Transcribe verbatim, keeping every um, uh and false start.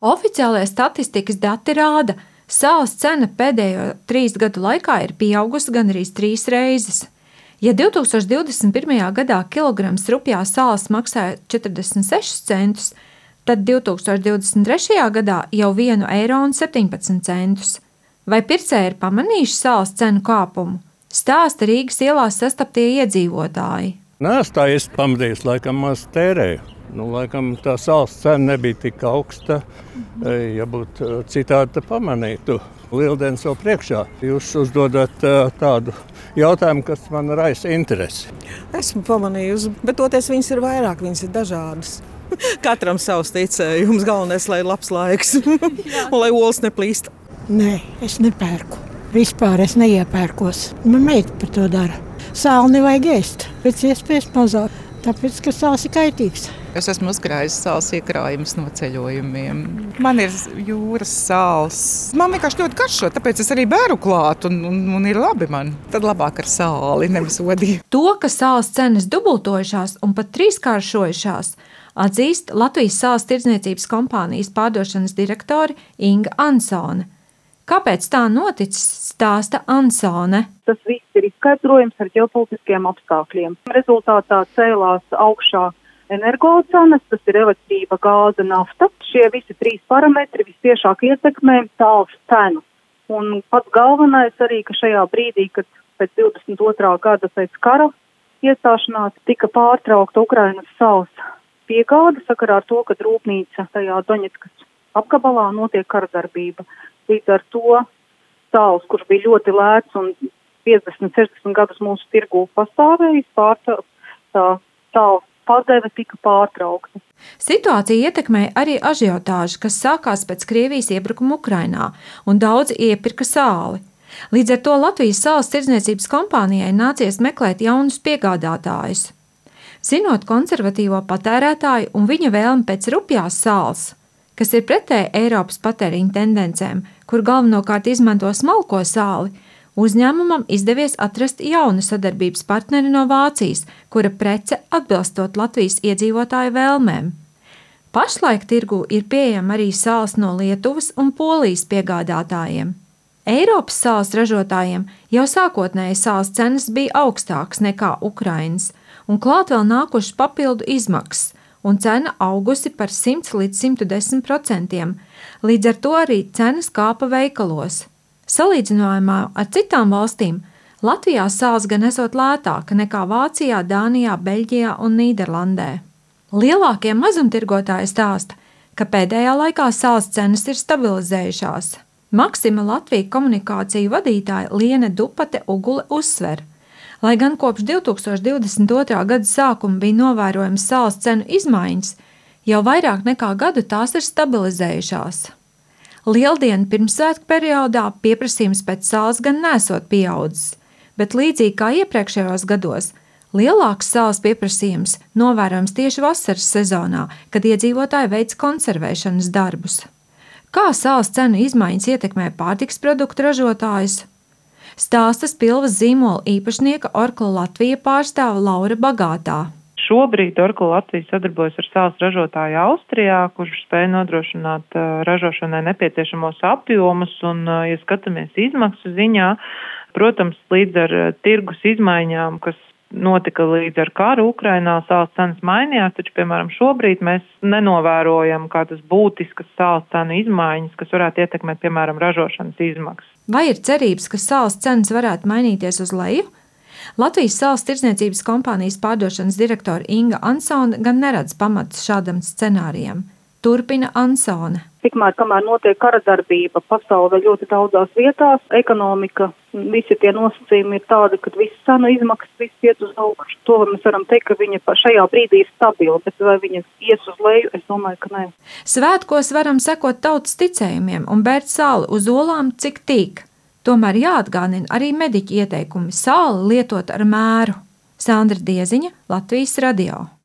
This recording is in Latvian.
Oficiālie statistikas dati rāda, ka sāls cena pēdējo trīs gadu laikā ir pieaugusi gandrīz trīs reizes. Ja divtūkstoš divdesmit pirmajā gadā kilograms rupjā sāls maksāja četrdesmit sešus centus, tad divtūkstoš divdesmit trešajā gadā jau vienu eiro un septiņpadsmit centus. Vai pircēji ir pamanījuši sāls cenu kāpumu? Stāsta Rīgas ielās sastaptie iedzīvotāji. Nē, es tā esmu pamanījis, laikam maz tērēju. Nu, laikam tā sāls cena nebija tik augsta, ja būtu citādi, tad pamanītu. Lieldienas vēl priekšā. Jūs uzdodat tādu jautājumu, kas man raisa interesi. Esmu pamanījusi, bet toties viņas ir vairāk, viņas ir dažādas. Katram savs ticējums, galvenais, lai ir labs laiks un lai olas neplīst. Nē, es nepērku. Vispār es neiepērkos. Man meita par to dara. Sāli nevajag ēst, pēc iespējas mazāk, tāpēc, ka sāls ir kaitīgs. Es esmu uzkrājis sāls iekrājumus no ceļojumiem. Man ir jūras sāls. Man vienkārši ļoti garšo, tāpēc es arī bēru klāt un, un, un ir labi man. Tad labāk ar sāli, nevis odīju. To, ka sāls cenas dubultojušās un pat trīskāršojušās, atzīst Latvijas sāls tirdzniecības kompānijas pārdošanas direktore Inga Ansone. Kāpēc tā noticis, stāsta Ansone. Tas viss ir izskaidrojams ar ģeopolitiskiem apstākļiem. Rezultātā cēlās augšā energocenas, tas ir elektrība, gāze, nafta. Šie visi trīs parametri visciešāk ietekmē sāls cenu. Un pats galvenais arī, ka šajā brīdī, kad pēc divdesmit otrā gada pēc kara iestāšanās tika pārtraukta Ukrainas sāls piegāde sakarā ar to, ka rūpnīca tajā Doņetskas apgabalā notiek karadarbība. Līdz ar to sāls, kurš bija ļoti lēts un piecdesmit sešdesmit gadus mūsu tirgū pastāvējis, pārtraukt, tā sāls padeve tika pārtraukta. Situācija ietekmēja arī ažiotāžu, kas sākās pēc Krievijas iebrukuma Ukrainā, un daudzi iepirka sāli. Līdz ar to Latvijas sāls tirdzniecības kompānijai nācies meklēt jaunus piegādātājus. Zinot konservatīvo patērētāju un viņa vēlmi pēc rupjās sāls, kas ir pretēji Eiropas patēriņa tendencēm, kur galvenokārt izmanto smalko sāli, uzņēmumam izdevies atrast jaunu sadarbības partneri no Vācijas, kura prece atbilstot Latvijas iedzīvotāju vēlmēm. Pašlaik tirgū ir pieejama arī sāls no Lietuvas un Polijas piegādātājiem. Eiropas sāls ražotājiem jau sākotnēji sāls cenas bija augstākas nekā Ukrainas, un klāt vēl nākušas papildu izmaksas, un cena augusi par simt līdz simt desmit procentiem, līdz ar to arī cenas kāpa veikalos. Salīdzinājumā ar citām valstīm Latvijā sāls gan esot lētāka nekā Vācijā, Dānijā, Beļģijā un Nīderlandē. Lielākie mazumtirgotāji stāsta, ka pēdējā laikā sāls cenas ir stabilizējušās. Maxima Latvija komunikāciju vadītāja Liene Dupate Ugule uzsver, lai gan kopš divtūkstoš divdesmit otrā gada sākuma bija novērojams sāls cenu izmaiņas, jau vairāk nekā gadu tās ir stabilizējušās. Lieldienu pirmsvētku periodā pieprasījums pēc sāls gan nesot pieaudzis, bet līdzīgi kā iepriekšējos gados, lielāks sāls pieprasījums novērojams tieši vasaras sezonā, kad iedzīvotāji veic konservēšanas darbus. Kā sāls cenu izmaiņas ietekmē pārtikas produktu ražotājus? Stāsta Spilvas zīmola īpašnieka Orkla Latvija pārstāve Laura Bagātā. Šobrīd Orkla Latvija sadarbojas ar sāls ražotāju Austrijā, kurš spēj nodrošināt uh, ražošanai nepieciešamos apjomus, un, uh, ja skatāmies izmaksu ziņā, protams, līdz ar uh, tirgus izmaiņām, kas notika līdz ar karu Ukrainā, sāls cenas mainījās, taču, piemēram, šobrīd mēs nenovērojam kādas būtiskas sāls cenu izmaiņas, kas varētu ietekmēt, piemēram, ražošanas izmaksas. Vai ir cerības, ka sāls cenas varētu mainīties uz leju? Latvijas sāls tirdzniecības kompānijas pārdošanas direktore Inga Ansone gan neredz pamatus šādam scenārijam. Turpina Ansone. Tikmēr, kamēr notiek karadarbība pasaulē ļoti daudzās vietās, ekonomika, visi tie nosacījumi ir tādi, ka visas cenu izmaksas, viss iet uz augšu. To mēs varam teikt, ka viņa šajā brīdī ir stabila, bet vai viņa ies uz leju, es domāju, ka nē. Svētkos varam sekot tautas ticējumiem un bērt sāli uz olām, cik tīk. Tomēr jāatgādina arī mediķu ieteikumi sāli lietot ar mēru. Sandra Dieziņa, Latvijas radio.